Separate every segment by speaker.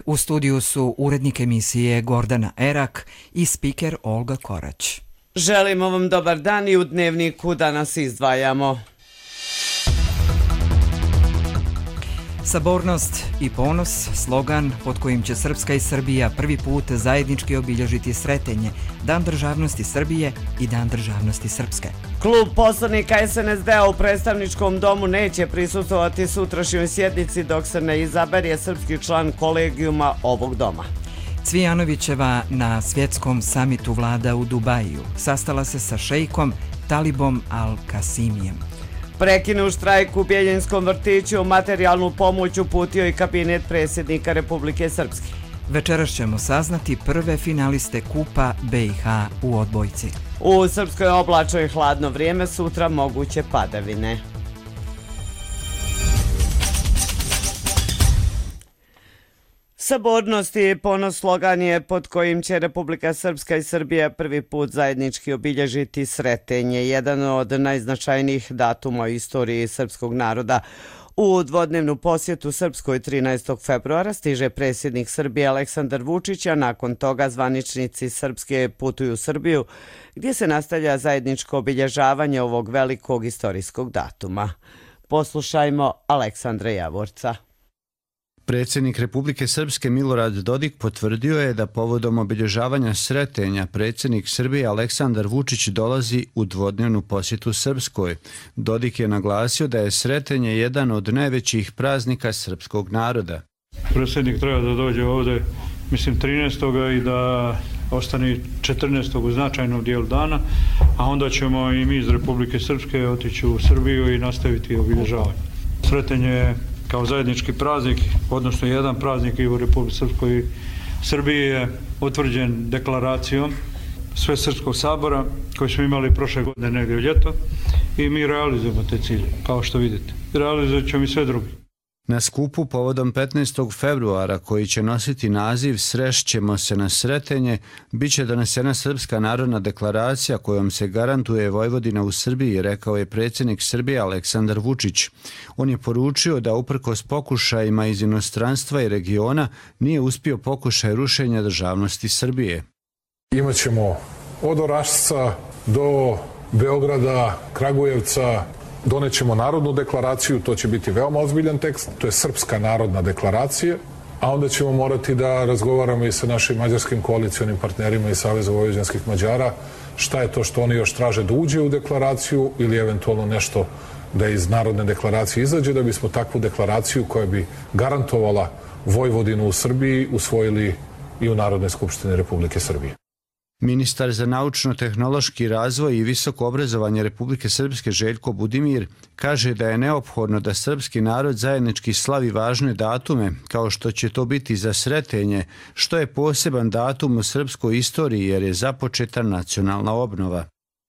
Speaker 1: U studiju su urednik emisije Gordana Erak i spiker Olga Korać.
Speaker 2: Želimo vam dobar dan i u dnevniku danas izdvajamo.
Speaker 1: Sabornost i ponos, slogan pod kojim će Srpska i Srbija prvi put zajednički obilježiti Sretenje, Dan državnosti Srbije i Dan državnosti Srpske.
Speaker 2: Klub poslanika SNSD-a u predstavničkom domu neće prisustvovati sutrašnjoj sjednici dok se ne izabere srpski član kolegijuma ovog doma.
Speaker 1: Cvijanovićeva na svjetskom samitu vlada u Dubaju sastala se sa šejkom Talibom Al-Kasimijem.
Speaker 2: Prekinu štrajk u Bjeljinskom vrtiću, materijalnu pomoć uputio i kabinet predsjednika Republike Srpske.
Speaker 1: Večeras ćemo saznati prve finaliste Kupa BiH u odbojci.
Speaker 2: U Srpskoj oblačno i hladno vrijeme, sutra moguće padavine. Sabornost i ponos slogan je pod kojim će Republika Srpska i Srbija prvi put zajednički obilježiti Sretenje, jedan od najznačajnijih datuma u istoriji srpskog naroda. U dvodnevnu posjetu Srpskoj 13. februara stiže predsjednik Srbije Aleksandar Vučić, a nakon toga zvaničnici Srpske putuju u Srbiju, gdje se nastavlja zajedničko obilježavanje ovog velikog istorijskog datuma. Poslušajmo Aleksandra Javorca.
Speaker 3: Predsjednik Republike Srpske Milorad Dodik potvrdio je da povodom obilježavanja Sretenja predsjednik Srbije Aleksandar Vučić dolazi u dvodnevnu posjetu Srpskoj. Dodik je naglasio da je Sretenje jedan od najvećih praznika srpskog naroda.
Speaker 4: Predsjednik treba da dođe ovdje, 13. i da ostane 14. u značajnom dijelu dana, a onda ćemo i mi iz Republike Srpske otići u Srbiju i nastaviti obilježavanje. Sretenje je kao zajednički praznik, odnosno jedan praznik i u Republici Srpskoj i Srbiji je utvrđen deklaracijom Svesrpskog sabora koji smo imali prošle godine negdje u ljeto i mi realizujemo te cilje, kao što vidite. Realizovat ćemo i sve drugi.
Speaker 3: Na skupu povodom 15. februara, koji će nositi naziv Srešćemo se na Sretenje, bit će donesena Srpska narodna deklaracija kojom se garantuje Vojvodina u Srbiji, rekao je predsjednik Srbije Aleksandar Vučić. On je poručio da uprkos pokušajima iz inostranstva i regiona nije uspio pokušaj rušenja državnosti Srbije.
Speaker 5: Imaćemo od Orašca do Beograda, Kragujevca, donećemo narodnu deklaraciju, to će biti veoma ozbiljan tekst, to je Srpska narodna deklaracija, a onda ćemo morati da razgovaramo i sa našim mađarskim koalicionim partnerima iz Saveza vojvođanskih Mađara, šta je to što oni još traže da uđe u deklaraciju ili eventualno nešto da iz narodne deklaracije izađe, da bismo takvu deklaraciju koja bi garantovala Vojvodinu u Srbiji usvojili i u Narodnoj skupštini Republike Srbije.
Speaker 3: Ministar za naučno-tehnološki razvoj i visoko obrazovanje Republike Srpske Željko Budimir kaže da je neophodno da srpski narod zajednički slavi važne datume, kao što će to biti za Sretenje, što je poseban datum u srpskoj istoriji jer je započeta nacionalna obnova.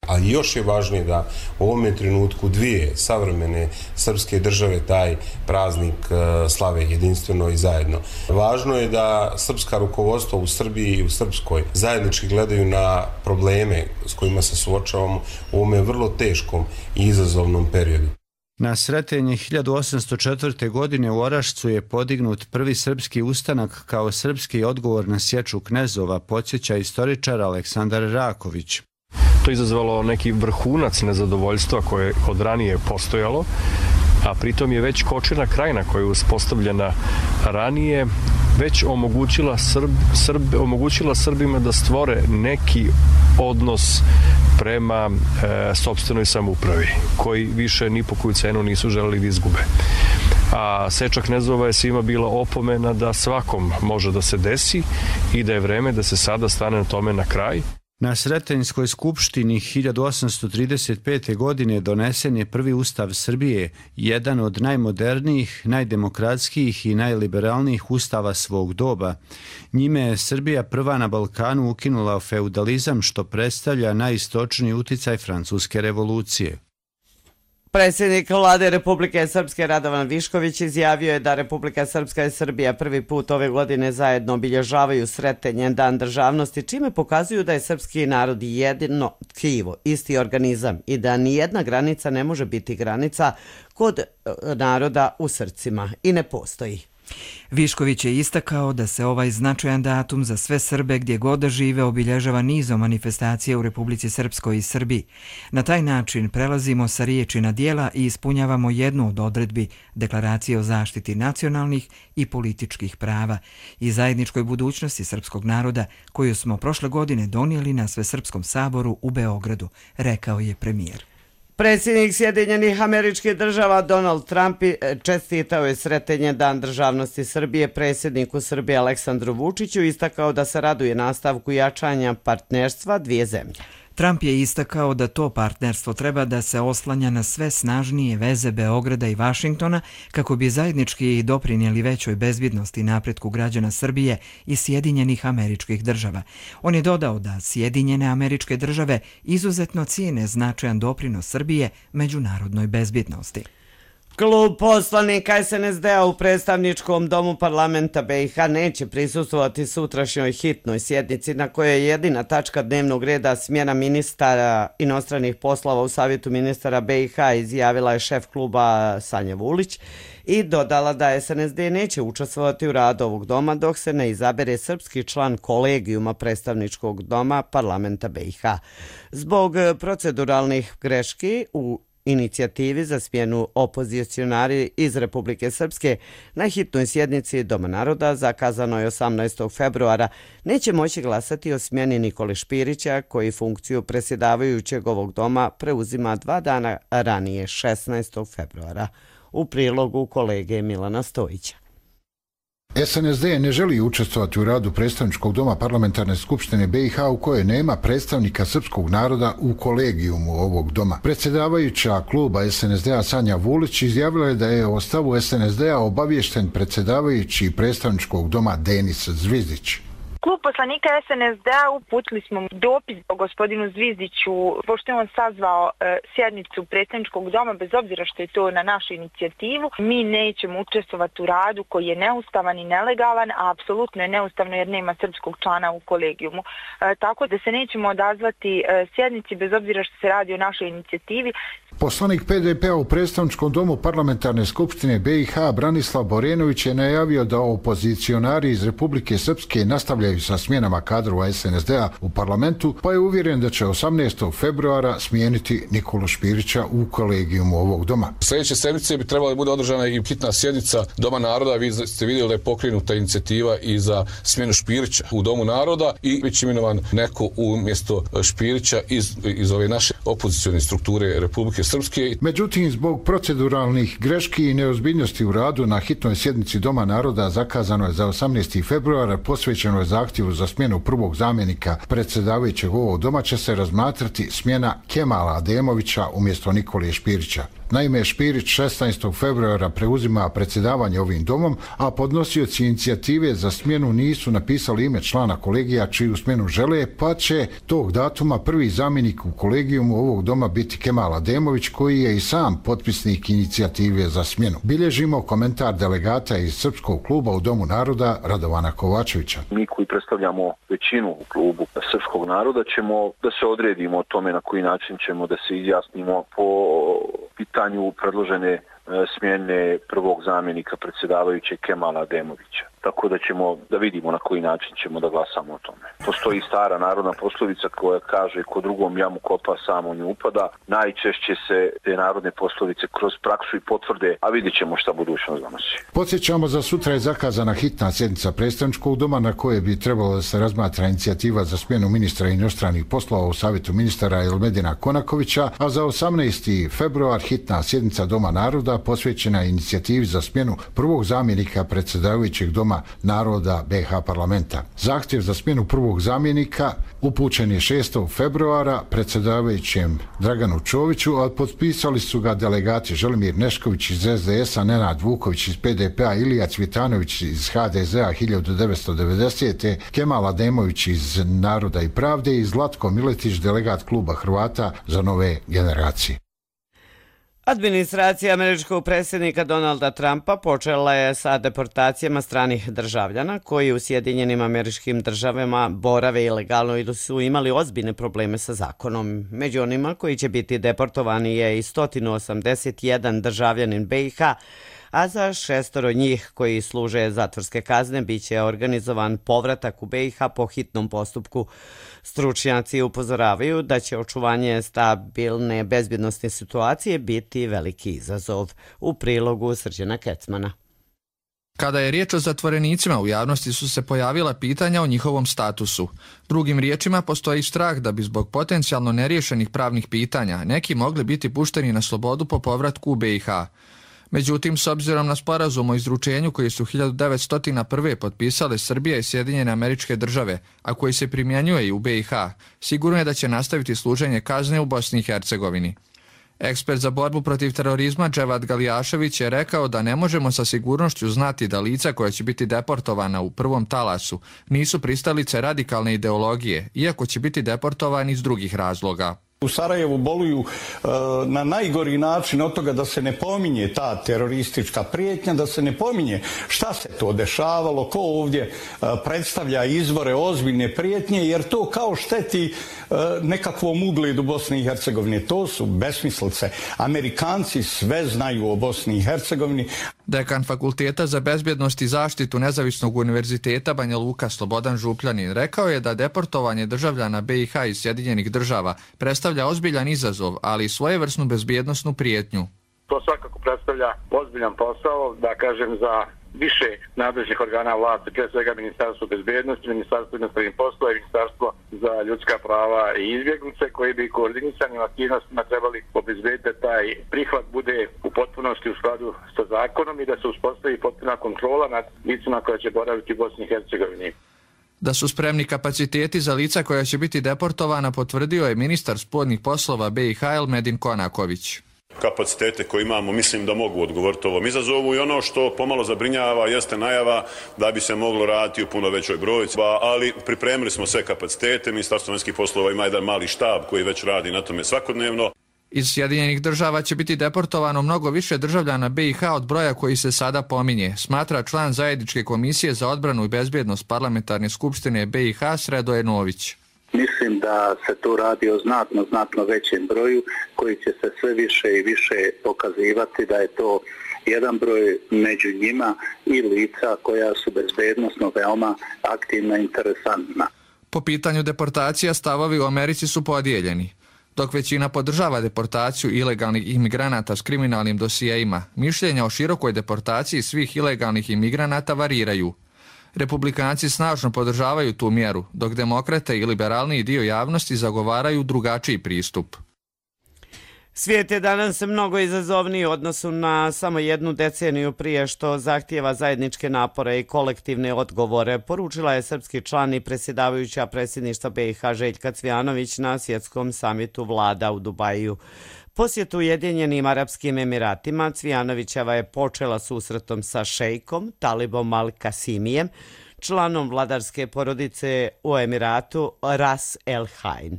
Speaker 6: Ali još je važnije da u ovome trenutku dvije savremene srpske države taj praznik slave jedinstveno i zajedno. Važno je da srpska rukovodstva u Srbiji i u Srpskoj zajednički gledaju na probleme s kojima se suočavamo u ovome vrlo teškom i izazovnom periodu.
Speaker 3: Na Sretenje 1804. godine u Orašcu je podignut prvi srpski ustanak kao srpski odgovor na sječu knezova, podsjeća istoričar Aleksandar Raković.
Speaker 7: To je izazvalo neki vrhunac nezadovoljstva koje od ranije postojalo, a pritom je već Kočina krajina koja je uspostavljena ranije već omogućila Srbima da stvore neki odnos prema sopstvenoj samoupravi, koji više ni po koju cenu nisu želeli da izgube. A seča knezova je svima bila opomena da svakom može da se desi i da je vreme da se sada stane na tome na kraj.
Speaker 3: Na Sretenjskoj skupštini 1835. godine donesen je prvi ustav Srbije, jedan od najmodernijih, najdemokratskijih i najliberalnijih ustava svog doba. Njime je Srbija prva na Balkanu ukinula feudalizam, što predstavlja najistočniji uticaj Francuske revolucije.
Speaker 2: Predsjednik vlade Republike Srpske Radovan Višković izjavio je da Republika Srpska i Srbija prvi put ove godine zajedno obilježavaju Sretenje, Dan državnosti, čime pokazuju da je srpski narod jedino tkivo, isti organizam i da nijedna granica ne može biti granica kod naroda u srcima i ne postoji.
Speaker 1: Višković je istakao da se ovaj značajan datum za sve Srbe gdje god da žive obilježava nizom manifestacije u Republici Srpskoj i Srbiji. Na taj način prelazimo sa riječi na djela i ispunjavamo jednu od odredbi Deklaracije o zaštiti nacionalnih i političkih prava i zajedničkoj budućnosti srpskog naroda koju smo prošle godine donijeli na Svesrpskom saboru u Beogradu, rekao je premijer.
Speaker 2: Predsjednik Sjedinjenih Američkih Država Donald Trump čestitao je Sretenje Dan državnosti Srbije predsjedniku Srbije Aleksandru Vučiću i istakao da se raduje nastavku jačanja partnerstva dvije zemlje.
Speaker 1: Trump je istakao da to partnerstvo treba da se oslanja na sve snažnije veze Beograda i Vašingtona kako bi zajednički doprinijeli većoj bezbjednosti i napretku građana Srbije i Sjedinjenih Američkih Država. On je dodao da Sjedinjene Američke Države izuzetno cijene značajan doprinos Srbije međunarodnoj bezbjednosti.
Speaker 2: Klub poslanika SNSD-a u predstavničkom domu parlamenta BiH neće prisustvovati sutrašnjoj hitnoj sjednici na kojoj je jedina tačka dnevnog reda smjena ministara inostranih poslova u Savjetu ministara BiH, izjavila je šef kluba Sanja Vulić i dodala da SNSD neće učestvovati u radu ovog doma dok se ne izabere srpski član kolegijuma predstavničkog doma parlamenta BiH. Zbog proceduralnih greški u inicijativi za smjenu opozicionari iz Republike Srpske na hitnoj sjednici Doma naroda zakazano je 18. februara neće moći glasati o smjeni Nikole Špirića koji funkciju predsjedavajućeg ovog doma preuzima 2 dana ranije 16. februara. U prilogu kolege Milana Stojića.
Speaker 8: SNSD ne želi učestvovati u radu predstavničkog doma parlamentarne skupštine BiH u kojoj nema predstavnika srpskog naroda u kolegijumu ovog doma. Predsjedavajuća kluba SNSD-a Sanja Vulić izjavila je da je o stavu SNSD-a obaviješten predsjedavajući predstavničkog doma Denis Zvizdić.
Speaker 9: Klub poslanika SNSD-a uputili smo dopis o gospodinu Zvizdiću, pošto je on sazvao sjednicu predstavničkog doma, bez obzira što je to na našu inicijativu. Mi nećemo učestvovati u radu koji je neustavan i nelegalan, a apsolutno je neustavno jer nema srpskog člana u kolegijumu. Tako da se nećemo odazvati sjednici bez obzira što se radi o našoj inicijativi.
Speaker 8: Poslanik PDP-a u predstavničkom domu parlamentarne skupštine BiH Branislav Borenović je najavio da opozicionari iz Republike Srpske nastavljaju sa smjenama kadrova SNSD-a u parlamentu, pa je uvjeren da će 18. februara smijeniti Nikolu Špirića u kolegijumu ovog doma.
Speaker 10: Sljedeće sedmice bi trebala bude održana i hitna sjednica Doma naroda. Vi ste vidjeli da je pokrenuta inicijativa i za smjenu Špirića u Domu naroda i već imenovan neko umjesto Špirića iz ove naše opozicione strukture Republike Srpske.
Speaker 8: Međutim, zbog proceduralnih greški i neozbiljnosti u radu na hitnoj sjednici Doma naroda zakazano je za 18. februara, posvećeno je zahtjevu za smjenu prvog zamjenika predsjedavajućeg ovog doma, će se razmatrati smjena Kemala Ademovića umjesto Nikole Špirića. Naime, Špirić 16. februara preuzima predsjedavanje ovim domom, a podnosioci inicijative za smjenu nisu napisali ime člana kolegija čiju smjenu žele, pa će tog datuma prvi zamjenik u kolegijumu ovog doma biti Kemal Ademović, koji je i sam potpisnik inicijative za smjenu. Bilježimo komentar delegata iz Srpskog kluba u Domu naroda Radovana Kovačevića.
Speaker 11: Mi koji predstavljamo većinu u klubu Srpskog naroda ćemo da se odredimo o tome na koji način ćemo da se izjasnimo po pitanju predložene smjene prvog zamjenika predsjedavajućeg Kemala Ademovića. Tako da ćemo da vidimo na koji način ćemo da glasamo o tome. Postoji stara narodna poslovica koja kaže ko drugom jamu kopa samo nju upada. Najčešće se te narodne poslovice kroz praksu i potvrde, a vidjet ćemo šta budućnost donosi.
Speaker 8: Podsjećamo, za sutra je zakazana hitna sjednica predstavničkog doma na koje bi trebalo da se razmatra inicijativa za smjenu ministra inostranih poslova u Savjetu ministara Elmedina Konakovića, a za 18. februar hitna sjednica Doma naroda posvećena inicijativi za smjenu prvog zamjenika predsjedavajućeg Doma naroda BiH parlamenta. Zahtjev za smjenu prvog zamjenika upućen je 6. februara predsjedavajućem Draganu Čoviću, a potpisali su ga delegati Želimir Nešković iz SDS-a, Nenad Vuković iz PDP-a, Ilija Cvitanović iz HDZ-a 1990. Kemal Ademović iz Naroda i pravde i Zlatko Miletić, delegat kluba Hrvata za nove generacije.
Speaker 2: Administracija američkog predsjednika Donalda Trumpa počela je sa deportacijama stranih državljana koji u Sjedinjenim Američkim Državama borave ilegalno ili su imali ozbiljne probleme sa zakonom. Među onima koji će biti deportovani je i 181 državljanin BiH, a za 6 njih koji služe zatvorske kazne biće organizovan povratak u BiH po hitnom postupku. Stručnjaci upozoravaju da će očuvanje stabilne bezbjednosne situacije biti veliki izazov. U prilogu Srđana Kecmana.
Speaker 12: Kada je riječ o zatvorenicima, u javnosti su se pojavila pitanja o njihovom statusu. Drugim riječima, postoji strah da bi zbog potencijalno neriješenih pravnih pitanja neki mogli biti pušteni na slobodu po povratku u BiH. Međutim, s obzirom na sporazum o izručenju koji su 1901. potpisale Srbija i Sjedinjene Američke Države, a koji se primjenjuje i u BiH, sigurno je da će nastaviti služenje kazne u Bosni i Hercegovini. Ekspert za borbu protiv terorizma Dževad Galijašević je rekao da ne možemo sa sigurnošću znati da lica koja će biti deportovana u prvom talasu nisu pristalice radikalne ideologije, iako će biti deportovani iz drugih razloga.
Speaker 13: U Sarajevu boluju na najgori način od toga da se ne pominje ta teroristička prijetnja, da se ne pominje šta se to dešavalo, ko ovdje predstavlja izvore ozbiljne prijetnje, jer to kao šteti nekakvom ugledu Bosne i Hercegovine. To su besmislice. Amerikanci sve znaju o Bosni i Hercegovini.
Speaker 12: Dekan Fakulteta za bezbjednost i zaštitu Nezavisnog univerziteta Banja Luka Slobodan Župljanin rekao je da deportovanje državljana BiH iz Sjedinjenih Država predstavlja ozbiljan izazov, ali i svojevrsnu bezbjednosnu prijetnju.
Speaker 14: To svakako predstavlja ozbiljan posao, da kažem, za više nadležnih organa vlasti, pre svega Ministarstvo bezbjednosti, Ministarstvo inostranih poslova i Ministarstvo za ljudska prava i izbjeglice, koji bi koordinisanim aktivnostima trebali obezbediti da taj prihvat bude u potpunosti u skladu sa zakonom i da se uspostavi potpuna kontrola nad licima koja će boraviti u Bosni i Hercegovini.
Speaker 12: Da su spremni kapaciteti za lica koja će biti deportovana potvrdio je ministar spoljnih poslova BiH Elmedin Konaković.
Speaker 15: Kapacitete koje imamo mislim da mogu odgovoriti ovom izazovu i ono što pomalo zabrinjava jeste najava da bi se moglo raditi u puno većoj brojci, ali pripremili smo sve kapacitete, Ministarstvo vanjskih poslova ima jedan mali štab koji već radi na tome svakodnevno.
Speaker 12: Iz Sjedinjenih Država će biti deportovano mnogo više državljana BiH od broja koji se sada pominje, smatra član Zajedničke komisije za odbranu i bezbjednost Parlamentarne skupštine BiH Sredoje Nović.
Speaker 16: Mislim da se tu radi o znatno većem broju koji će se sve više i više pokazivati da je to jedan broj među njima i lica koja su bezbednosno veoma aktivna i interesantna.
Speaker 12: Po pitanju deportacija stavovi u Americi su podijeljeni. Dok većina podržava deportaciju ilegalnih imigranata s kriminalnim dosijeima, mišljenja o širokoj deportaciji svih ilegalnih imigranata variraju. Republikanci snažno podržavaju tu mjeru, dok demokrate i liberalniji dio javnosti zagovaraju drugačiji pristup.
Speaker 2: Svijet je danas mnogo izazovniji u odnosu na samo jednu deceniju prije što zahtijeva zajedničke napore i kolektivne odgovore, poručila je srpski član i predsjedavajuća predsjedništva BiH Željka Cvijanović na svjetskom samitu vlada u Dubaju. Posjetu Ujedinjenim Arapskim Emiratima Cvijanovićeva je počela susretom sa šejkom Talibom Al-Kasimijem, članom vladarske porodice u Emiratu Ras El Hain.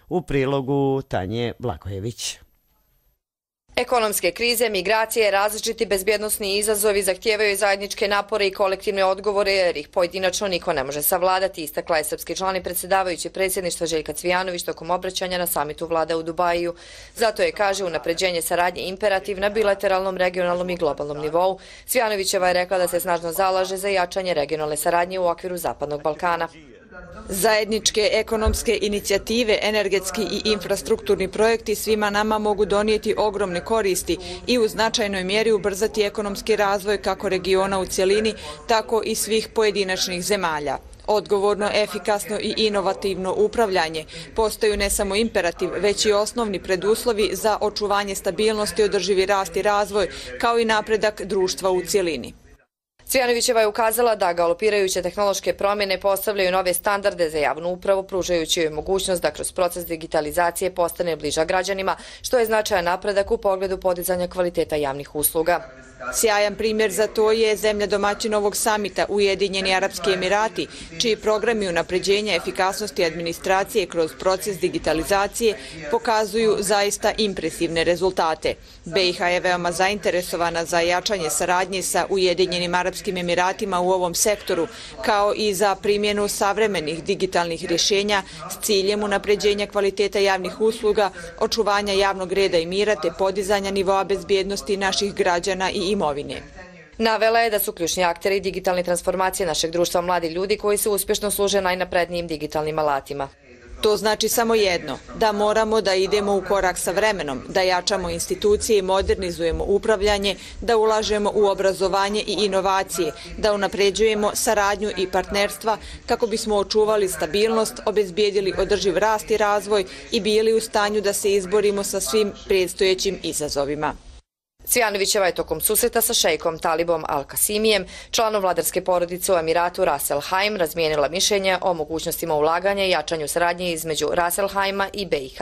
Speaker 2: U prilogu Tanje Blagojević.
Speaker 17: Ekonomske krize, migracije, različiti bezbjednosni izazovi zahtijevaju zajedničke napore i kolektivne odgovore jer ih pojedinačno niko ne može savladati, istakla je srpski član i predsjedavajući predsjedništva Željka Cvijanović tokom obraćanja na samitu vlada u Dubaju. Zato je, kaže, unapređenje saradnje imperativ na bilateralnom, regionalnom i globalnom nivou. Cvijanovićeva je rekla da se snažno zalaže za jačanje regionalne saradnje u okviru Zapadnog Balkana.
Speaker 18: Zajedničke ekonomske inicijative, energetski i infrastrukturni projekti svima nama mogu donijeti ogromne koristi i u značajnoj mjeri ubrzati ekonomski razvoj kako regiona u cjelini, tako i svih pojedinačnih zemalja. Odgovorno, efikasno i inovativno upravljanje postaju ne samo imperativ, već i osnovni preduslovi za očuvanje stabilnosti, održivi rast i razvoj, kao i napredak društva u cjelini.
Speaker 17: Cvijanovićeva je ukazala da galopirajuće tehnološke promjene postavljaju nove standarde za javnu upravu, pružajući joj mogućnost da kroz proces digitalizacije postane bliža građanima, što je značajan napredak u pogledu podizanja kvaliteta javnih usluga.
Speaker 18: Sjajan primjer za to je zemlja domaćin ovog samita Ujedinjeni Arapski Emirati, čiji programi unapređenja efikasnosti administracije kroz proces digitalizacije pokazuju zaista impresivne rezultate. BiH je veoma zainteresovana za jačanje saradnje sa Ujedinjenim Arapskim Arapskim Emiratima u ovom sektoru, kao i za primjenu savremenih digitalnih rješenja s ciljem unapređenja kvaliteta javnih usluga, očuvanja javnog reda i mira te podizanja nivoa bezbjednosti naših građana i imovine.
Speaker 17: Navela je da su ključni akteri digitalne transformacije našeg društva mladi ljudi koji se uspješno služe najnaprednijim digitalnim alatima.
Speaker 18: To znači samo jedno, da moramo da idemo u korak sa vremenom, da jačamo institucije i modernizujemo upravljanje, da ulažemo u obrazovanje i inovacije, da unapređujemo saradnju i partnerstva kako bismo očuvali stabilnost, obezbijedili održiv rast i razvoj i bili u stanju da se izborimo sa svim predstojećim izazovima.
Speaker 17: Cvijanovićeva je tokom susreta sa šejkom Talibom Al-Kasimijem, članom vladarske porodice u Emiratu Ras Al Khaimah, razmijenila mišljenja o mogućnostima ulaganja i jačanju saradnje između Ras Al Khaimah i BiH.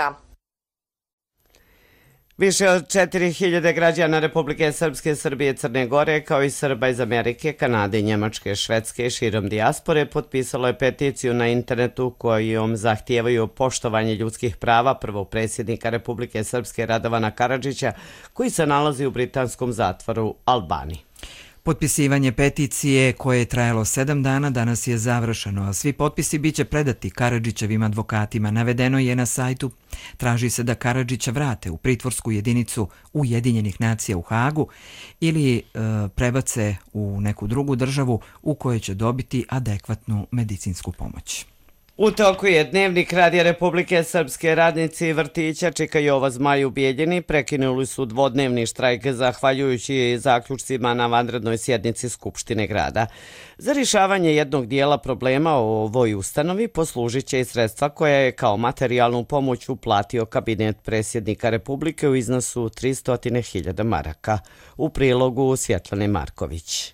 Speaker 2: Više od 4000 građana Republike Srpske, Srbije, Crne Gore, kao i Srba iz Amerike, Kanade, Njemačke, Švedske i širom dijaspore potpisalo je peticiju na internetu kojom zahtijevaju poštovanje ljudskih prava prvog predsjednika Republike Srpske Radovana Karadžića, koji se nalazi u britanskom zatvoru Albani.
Speaker 1: Potpisivanje peticije koje je trajalo 7 dana danas je završeno, a svi potpisi biće predati Karadžićevim advokatima. Navedeno je na sajtu. Traži se da Karadžića vrate u pritvorsku jedinicu Ujedinjenih nacija u Hagu ili prebace u neku drugu državu u kojoj će dobiti adekvatnu medicinsku pomoć.
Speaker 2: U toku je Dnevnik Radija Republike Srpske. Radnici vrtića Čika Jova Zmaj u Bijeljini prekinuli su dvodnevni štrajk zahvaljujući zaključcima na vanrednoj sjednici Skupštine grada. Za rješavanje jednog dijela problema o ovoj ustanovi poslužit će i sredstva koja je kao materijalnu pomoć uplatio kabinet predsjednika Republike u iznosu 300.000 maraka. U prilogu Svjetlane Marković.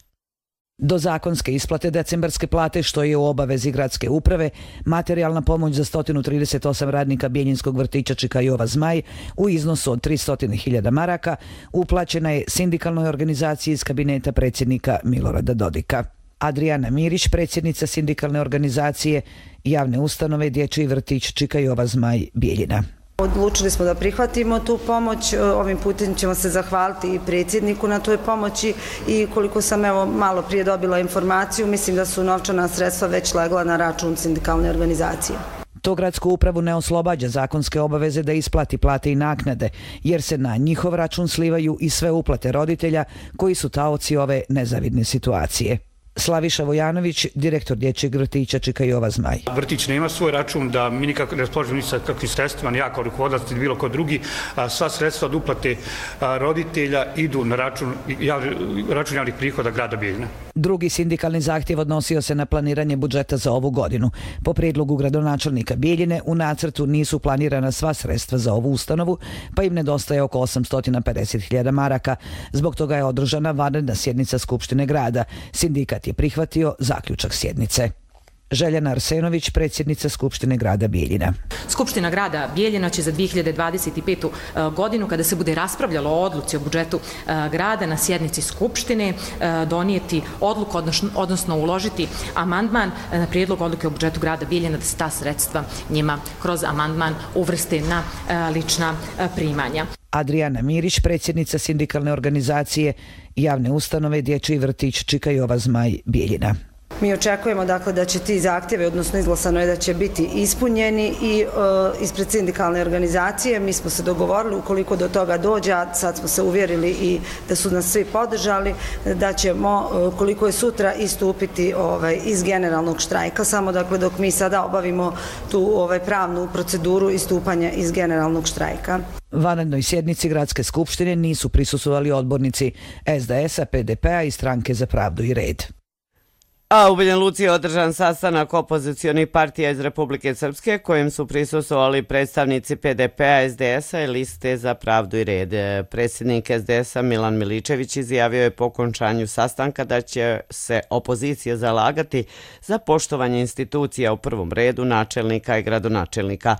Speaker 19: Do zakonske isplate decembarske plate, što je u obavezi gradske uprave, materijalna pomoć za 138 radnika Bijeljinskog vrtića Čika Jova Zmaj u iznosu od 300.000 maraka uplaćena je sindikalnoj organizaciji iz kabineta predsjednika Milorada Dodika. Adriana Mirić, predsjednica sindikalne organizacije javne ustanove Dječji vrtić Čika Jova Zmaj Bijeljina.
Speaker 20: Odlučili smo da prihvatimo tu pomoć, ovim putem ćemo se zahvaliti i predsjedniku na toj pomoći i koliko sam malo prije dobila informaciju, mislim da su novčana sredstva već legla na račun sindikalne organizacije.
Speaker 19: To gradsku upravu ne oslobađa zakonske obaveze da isplati plate i naknade, jer se na njihov račun slivaju i sve uplate roditelja koji su taoci ove nezavidne situacije. Slaviša Vojanović, direktor Dječjeg vrtića Čika Jova Zmaj.
Speaker 21: Vrtić nema svoj račun, da mi nikako ne raspoložimo ni sa kakvim sredstvima, ni ja kao rukovodilac ili bilo ko drugi. Sva sredstva od uplate roditelja idu na račun javnih prihoda grada Bijeljina.
Speaker 19: Drugi sindikalni zahtjev odnosio se na planiranje budžeta za ovu godinu. Po prijedlogu gradonačelnika Bijeljine u nacrtu nisu planirana sva sredstva za ovu ustanovu, pa im nedostaje oko 850.000 maraka. Zbog toga je održana vanredna sjednica Skupštine grada. Sindikat je prihvatio zaključak sjednice. Željana Arsenović, predsjednica Skupštine grada Bijeljina.
Speaker 22: Skupština grada Bijeljina će za 2025. godinu, kada se bude raspravljalo o odluci o budžetu grada na sjednici Skupštine, donijeti odluku, odnosno uložiti amandman na prijedlog odluke o budžetu grada Bijeljina da se ta sredstva njima kroz amandman uvrste na lična primanja.
Speaker 19: Adriana Mirić, predsjednica sindikalne organizacije javne ustanove Dječji vrtić Čika Jova Zmaj Bijeljina.
Speaker 20: Mi očekujemo dakle da će ti zahtjevi, odnosno izglasano je da će biti ispunjeni i ispred sindikalne organizacije mi smo se dogovorili ukoliko do toga dođe, a sad smo se uvjerili i da su nas svi podržali, da ćemo koliko je sutra istupiti iz generalnog štrajka, samo dakle dok mi sada obavimo tu pravnu proceduru istupanja iz generalnog štrajka.
Speaker 19: Vanrednoj sjednici gradske skupštine nisu prisustvovali odbornici SDS-a, PDP-a i Stranke za pravdu i red.
Speaker 2: A u Banja Luci je održan sastanak opozicionih partija iz Republike Srpske kojim su prisustvovali predstavnici PDP-a, SDS-a i Liste za pravdu i red. Predsjednik SDS-a Milan Miličević izjavio je po okončanju sastanka da će se opozicija zalagati za poštovanje institucija, u prvom redu načelnika i gradonačelnika.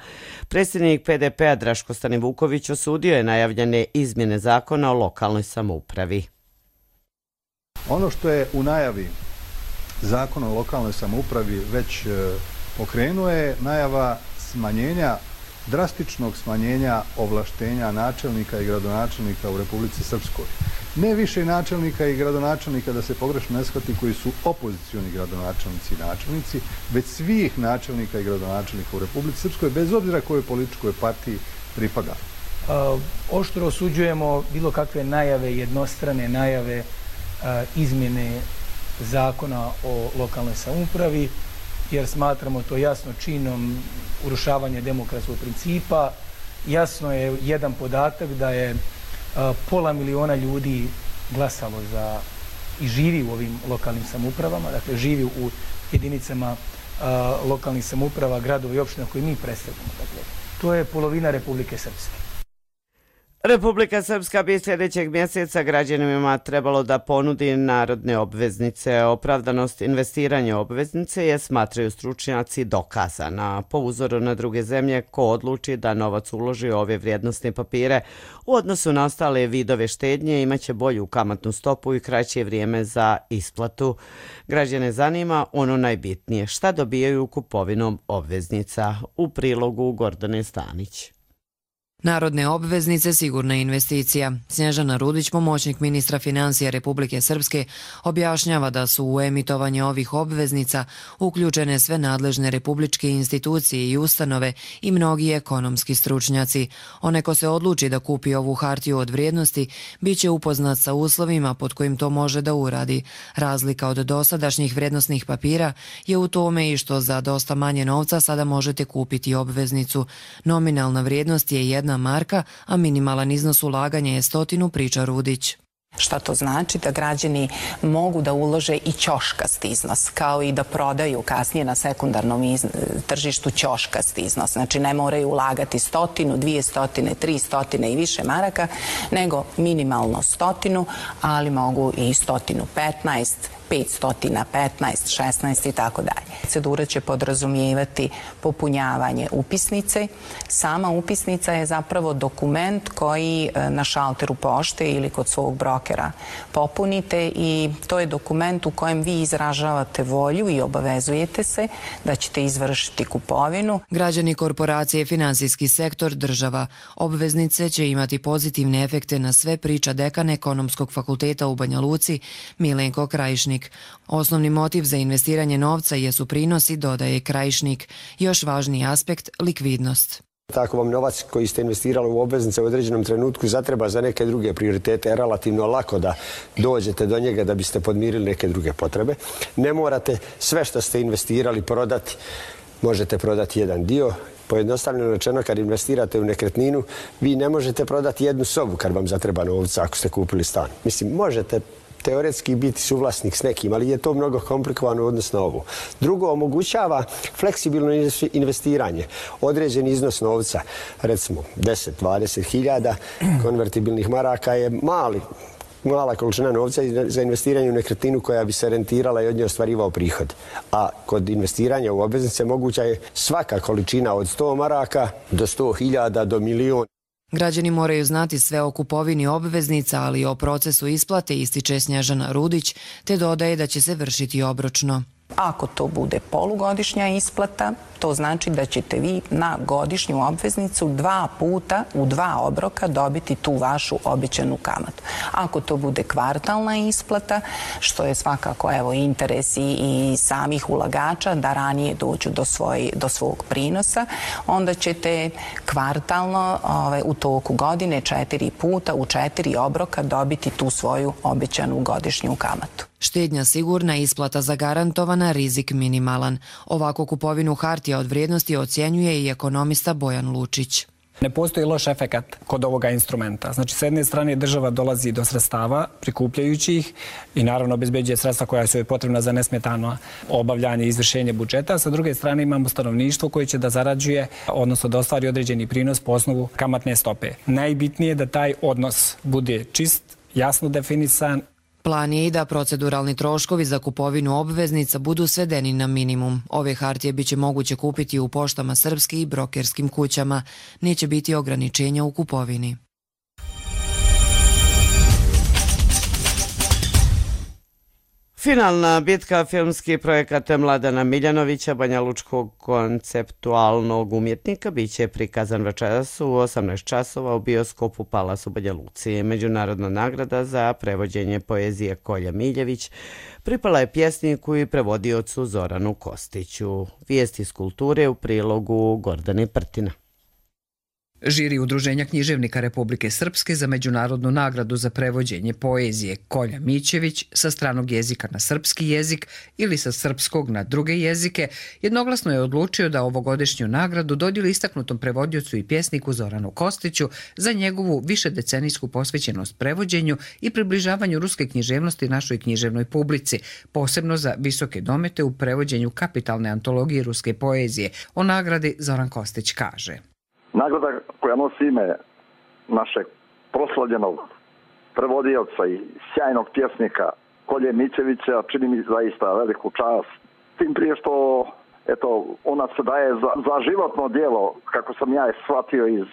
Speaker 2: Predsjednik PDP-a Draško Stanivuković osudio je najavljene izmjene zakona o lokalnoj samoupravi.
Speaker 23: Ono što je u najavi Zakon o lokalnoj samoupravi već pokrenuo je najava smanjenja, drastičnog smanjenja ovlaštenja načelnika i gradonačelnika u Republici Srpskoj. ne više načelnika i gradonačelnika, da se pogrešno ne shvati, koji su opozicioni gradonačelnici i načelnici, već svih načelnika i gradonačelnika u Republici Srpskoj, bez obzira kojoj političkoj partiji pripada.
Speaker 4: Oštro osuđujemo bilo kakve najave, jednostrane najave izmjene zakona o lokalnoj samoupravi, jer smatramo to jasno činom urušavanja demokratskog principa. Jasno je jedan podatak da je 500.000 ljudi glasalo za i živi u ovim lokalnim samoupravama, dakle živi u jedinicama lokalnih samouprava, gradova i opština koje mi predstavljamo. Dakle, to je polovina Republike Srpske.
Speaker 2: Republika Srpska bi sljedećeg mjeseca građanima trebalo da ponudi narodne obveznice. Opravdanost investiranja obveznice je, smatraju stručnjaci, dokazana. Po uzoru na druge zemlje, ko odluči da novac uloži u ove vrijednosne papire u odnosu na ostale vidove štednje imaće bolju kamatnu stopu i kraće vrijeme za isplatu. Građane zanima ono najbitnije, šta dobijaju kupovinom obveznica. U prilogu Gordane Stanić.
Speaker 5: Narodne obveznice sigurna investicija. Snježana Rudić, pomoćnik ministra financija Republike Srpske, objašnjava da su u emitovanje ovih obveznica uključene sve nadležne republičke institucije i ustanove i mnogi ekonomski stručnjaci. Onaj ko se odluči da kupi ovu hartiju od vrijednosti bit će upoznat sa uslovima pod kojim to može da uradi. Razlika od dosadašnjih vrijednosnih papira je u tome i što za dosta manje novca sada možete kupiti obveznicu. Nominalna vrijednost je 1 marka, a minimalan iznos ulaganja je 100, priča Rudić.
Speaker 6: Šta to znači? Da građani mogu da ulože i ćoškast iznos, kao i da prodaju kasnije na sekundarnom tržištu ćoškast iznos. Znači ne moraju ulagati 100, 200, 300 i više maraka, nego minimalno 100, ali mogu i 115, 515, 16 i tako dalje. Procedura će podrazumijevati popunjavanje upisnice. Sama upisnica je zapravo dokument koji na šalteru pošte ili kod svog brokera popunite i to je dokument u kojem vi izražavate volju i obavezujete se da ćete izvršiti kupovinu.
Speaker 5: Građani, korporacije, finansijski sektor, država. Obveznice će imati pozitivne efekte na sve, priča dekan Ekonomskog fakulteta u Banja Luci Milenko Krajišnik. Osnovni motiv za investiranje novca jesu prinosi, dodaje Krajišnik. Još važniji aspekt, likvidnost.
Speaker 24: Tako vam novac koji ste investirali u obveznice u određenom trenutku zatreba za neke druge prioritete, je relativno lako da dođete do njega da biste podmirili neke druge potrebe. Ne morate sve što ste investirali prodati, možete prodati jedan dio. Pojednostavljeno rečeno, kad investirate u nekretninu, vi ne možete prodati jednu sobu kad vam zatreba novca ako ste kupili stan. Mislim, možete teoretski biti suvlasnik s nekim, ali je to mnogo komplikovano u odnosu na ovo. Drugo, omogućava fleksibilno investiranje. Određeni iznos novca, recimo 10-20 hiljada konvertibilnih maraka je mala količina novca za investiranje u nekretninu koja bi se rentirala i od nje ostvarivao prihod. A kod investiranja u obveznice moguća je svaka količina od 100 maraka do 100.000 do milion.
Speaker 5: Građani moraju znati sve o kupovini obveznica, ali i o procesu isplate, ističe Snježana Rudić, te dodaje da će se vršiti obročno.
Speaker 6: Ako to bude polugodišnja isplata, to znači da ćete vi na godišnju obveznicu 2 puta u 2 obroka dobiti tu vašu obećanu kamatu. Ako to bude kvartalna isplata, što je svakako interes i samih ulagača da ranije dođu do svog prinosa, onda ćete kvartalno u toku godine 4 puta u 4 obroka dobiti tu svoju obećanu godišnju kamatu.
Speaker 5: Štednja sigurna, isplata zagarantovana, rizik minimalan. Ovako kupovinu hartija od vrijednosti ocjenjuje i ekonomista Bojan Lučić.
Speaker 25: Ne postoji loš efekat kod ovoga instrumenta. Znači, s jedne strane država dolazi do sredstava prikupljajući ih i naravno obezbeđuje sredstva koja su joj potrebna za nesmetano obavljanje i izvršenje budžeta. Sa druge strane imamo stanovništvo koje će da zarađuje, odnosno da ostvari određeni prinos po osnovu kamatne stope. Najbitnije je da taj odnos bude čist, jasno definisan.
Speaker 5: Plan je i da proceduralni troškovi za kupovinu obveznica budu svedeni na minimum. Ove hartije biće moguće kupiti u poštama Srpske i brokerskim kućama. Neće biti ograničenja u kupovini.
Speaker 2: Finalna bitka, filmski projekat Mladena Miljanovića, banjalučkog konceptualnog umjetnika, biće prikazan večeras u 18 časova u bioskopu Palas u Banja Luci. Međunarodna nagrada za prevođenje poezije Kolja Miljević pripala je pjesniku i prevodiocu Zoranu Kostiću. Vijesti iz kulture u prilogu Gordane Prtina.
Speaker 3: Žiri Udruženja književnika Republike Srpske za međunarodnu nagradu za prevođenje poezije Kolja Mićević sa stranog jezika na srpski jezik ili sa srpskog na druge jezike jednoglasno je odlučio da ovogodišnju nagradu dodijeli istaknutom prevodiocu i pjesniku Zoranu Kostiću za njegovu višedecenijsku posvećenost prevođenju i približavanju ruske književnosti našoj književnoj publici, posebno za visoke domete u prevođenju kapitalne antologije ruske poezije. O nagradi Zoran Kostić kaže:
Speaker 7: Nagrada koja nosi ime našeg proslavljenog prevodioca i sjajnog pjesnika Kolje Mićevića čini mi zaista veliku čast. Tim prije što ona se daje za životno djelo, kako sam ja shvatio iz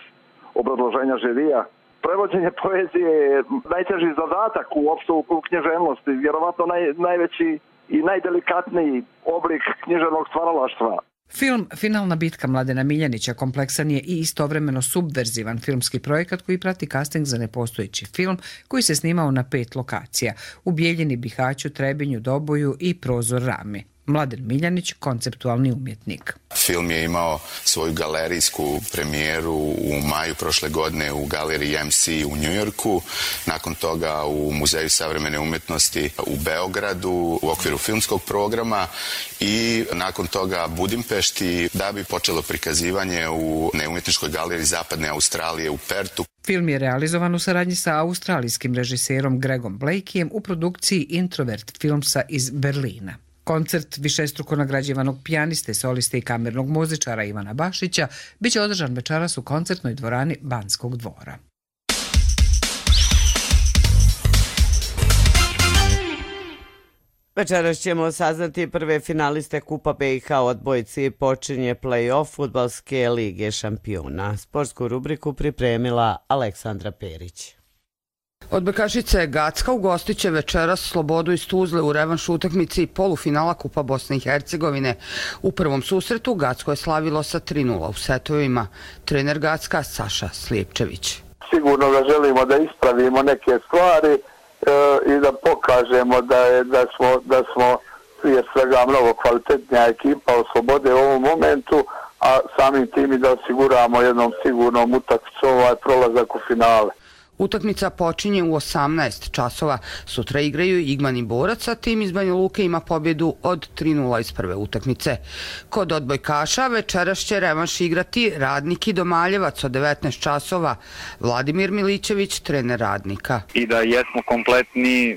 Speaker 7: obrazloženja žirija. Prevođenje poezije je najteži zadatak uopšte u književnosti, vjerovatno najveći i najdelikatniji oblik književnog stvaralaštva.
Speaker 3: Film Finalna bitka Mladena Miljanića kompleksan je i istovremeno subverzivan filmski projekat koji prati casting za nepostojeći film koji se snimao na 5 lokacija u Bijeljini, Bihaću, Trebinju, Doboju i Prozor Rami. Mladen Miljanić, konceptualni umjetnik.
Speaker 9: Film je imao svoju galerijsku premijeru u maju prošle godine u galeriji MC u Njujorku, nakon toga u Muzeju savremene umjetnosti u Beogradu u okviru filmskog programa i nakon toga Budimpešti, da bi počelo prikazivanje u neumjetničkoj galeriji Zapadne Australije u Pertu.
Speaker 3: Film je realizovan u saradnji sa australijskim režiserom Gregom Blakeyem u produkciji Introvert Filmsa iz Berlina. Koncert višestruko nagrađivanog pijaniste, soliste i kamernog muzičara Ivana Bašića biće održan večeras u koncertnoj dvorani Banskog dvora.
Speaker 2: Večeras ćemo saznati prve finaliste Kupa BiH odbojci. Počinje play-off Fudbalske lige šampiona. Sportsku rubriku pripremila Aleksandra Perić.
Speaker 10: Odbojkašice Gacka ugostit će večeras Slobodu iz Tuzle u revanš utakmici polufinala Kupa Bosne i Hercegovine. U prvom susretu Gacko je slavilo sa 3:0 u setovima. Trener Gacka Saša Slijepčević.
Speaker 11: Sigurno da želimo da ispravimo neke stvari i da pokažemo da smo prije svega mnogo kvalitetnija ekipa od Slobode u ovom momentu, a samim tim i da osiguramo jednom sigurnom utakmicu prolazak u finale.
Speaker 10: Utakmica počinje u 18 časova. Sutra igraju Igman i Borac, a tim iz Banja Luke ima pobjedu od 3:0 iz prve utakmice. Kod odbojkaša večeras će revanš igrati Radnik i Domaljevac od 19 časova. Vladimir Milićević, trener Radnika.
Speaker 26: I da jesmo kompletni,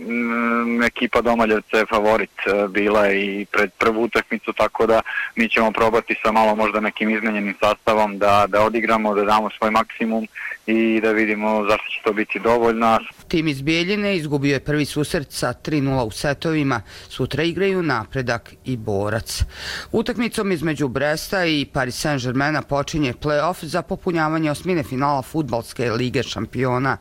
Speaker 26: ekipa Domaljevca je favorit bila i pred prvu utakmicu, tako da mi ćemo probati sa malo možda nekim izmenjenim sastavom da odigramo, da damo svoj maksimum i da vidimo zašto će to biti dovoljno.
Speaker 10: Tim iz Bijeljine izgubio je prvi susret sa 3:0 u setovima. Sutra igraju Napredak i Borac. Utakmicom između Bresta i Paris Saint-Germaina počinje play-off za popunjavanje osmine finala Fudbalske lige šampiona.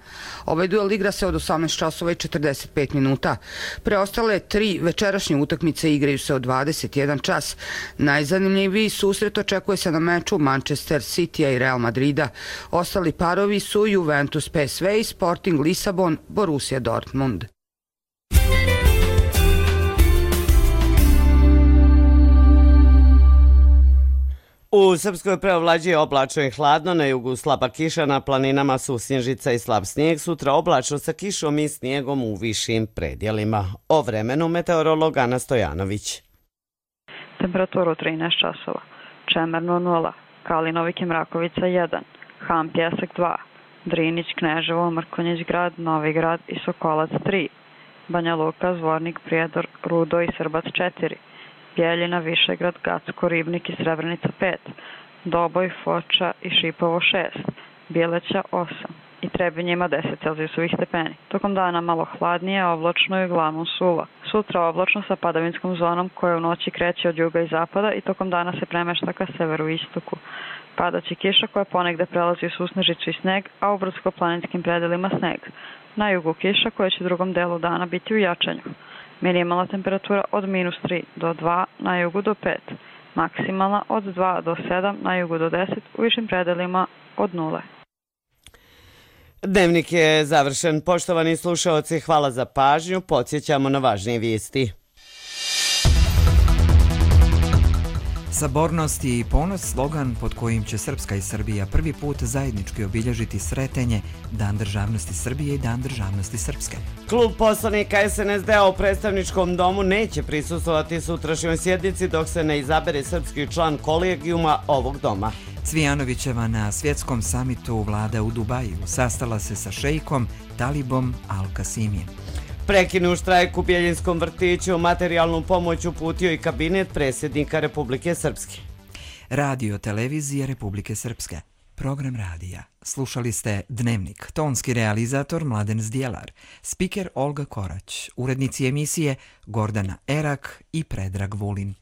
Speaker 10: Ovaj duel igra se od 18 časova i 45 minuta. Preostale 3 večerašnje utakmice igraju se od 21 čas. Najzanimljiviji susret očekuje se na meču Manchester Citya i Real Madrida. Ostali parovi su Juventus PSV i Sporting Lisabon Borussia Dortmund.
Speaker 2: U Srpskoj preovlađuje oblačno i hladno, na jugu slaba kiša, na planinama su snježica i slab snijeg, sutra oblačno sa kišom i snijegom u višim predjelima. O vremenu meteorolog Ana Stojanović.
Speaker 27: Temperaturu 13 časova, Čemerno 0, Kalinovik i Mrakovica 1, Ham Pjesak 2, Drinić, Kneževo, Mrkonjić grad, Novi grad i Sokolac 3, Banja Luka, Zvornik, Prijedor, Rudo i Srbac 4, Bijeljina, Višegrad, Gacko, Ribnik i Srebrenica 5, Doboj, Foča i Šipovo 6, Bileća 8 i Trebinje ima 10 celzijusovih stepeni. Tokom dana malo hladnije, oblačno i uglavnom suvo. Sutra oblačno sa padavinskom zonom koja u noći kreće od juga i zapada i tokom dana se premešta ka severu i istoku. Padaće kiša koja ponegde prelazi u susnežicu i sneg, a u brdsko-planinskim predelima sneg. Na jugu kiša koja će u drugom delu dana biti u jačanju. Minimalna temperatura od -3 do 2, na jugu do 5. Maksimalna od 2 do 7, na jugu do 10, u višim predelima od 0.
Speaker 2: Dnevnik je završen. Poštovani slušaoci, hvala za pažnju. Podsjećamo na važnije vijesti.
Speaker 1: Sabornost i ponos, slogan pod kojim će Srpska i Srbija prvi put zajednički obilježiti Sretenje, Dan državnosti Srbije i Dan državnosti Srpske.
Speaker 2: Klub poslanika SNSD-a u predstavničkom domu neće prisustvovati sutrašnjoj sjednici dok se ne izabere srpski član kolegijuma ovog doma.
Speaker 1: Cvijanovićeva na svjetskom samitu vlada u Dubaju sastala se sa šejkom Talibom Al-Kasimijem.
Speaker 2: Prekinu štrajk u Bjeljinskom vrtiću, materijalnu pomoć uputio i kabinet predsjednika Republike Srpske.
Speaker 1: Radio televizije Republike Srpske. Program radija. Slušali ste Dnevnik. Tonski realizator Mladen Zdjelar. Spiker Olga Korać. Urednici emisije Gordana Erak i Predrag Vulin.